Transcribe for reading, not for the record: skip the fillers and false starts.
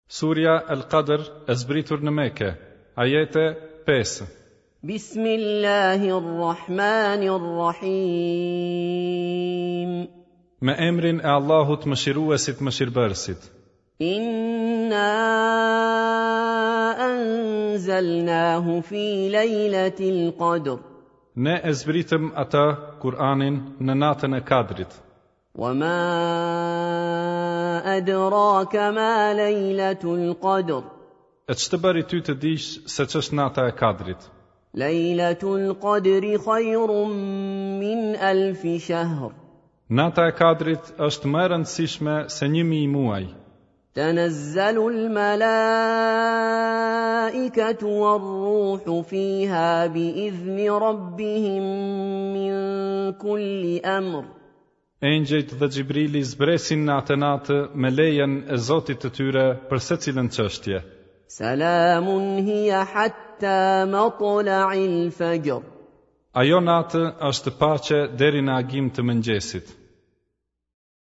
Surja El Kadr e zbritur në Mekë, Ajete 5. Bismillahirrahmanirrahim. Me emrin e Allahut Mëshiruesit Mëshirbërësit. Inna anzalnahu fi lejletil qadr. Ne e zbritëm atë, Kur'anin, në natën e Kadrit. Wa ma adraka ma lejletul qadr. E ç'të bëri ty të dish se ç'është nata e Kadrit? Lejletul qadri khayrun min alfi shahr. Nata e Kadrit është më e rëndësishme se 1000 muaj. Tanazzalu al-malaikatu war-ruhu fiha bi-idhni rabbihim min kulli amr. Engjëjt dhe Xhibrili zbresin në atë natë me lejen e Zotit të tyre për secilën çështje. Salamun hiya hatta matla'il fajr. Ajo natë është paqe deri në agim të mëngjesit.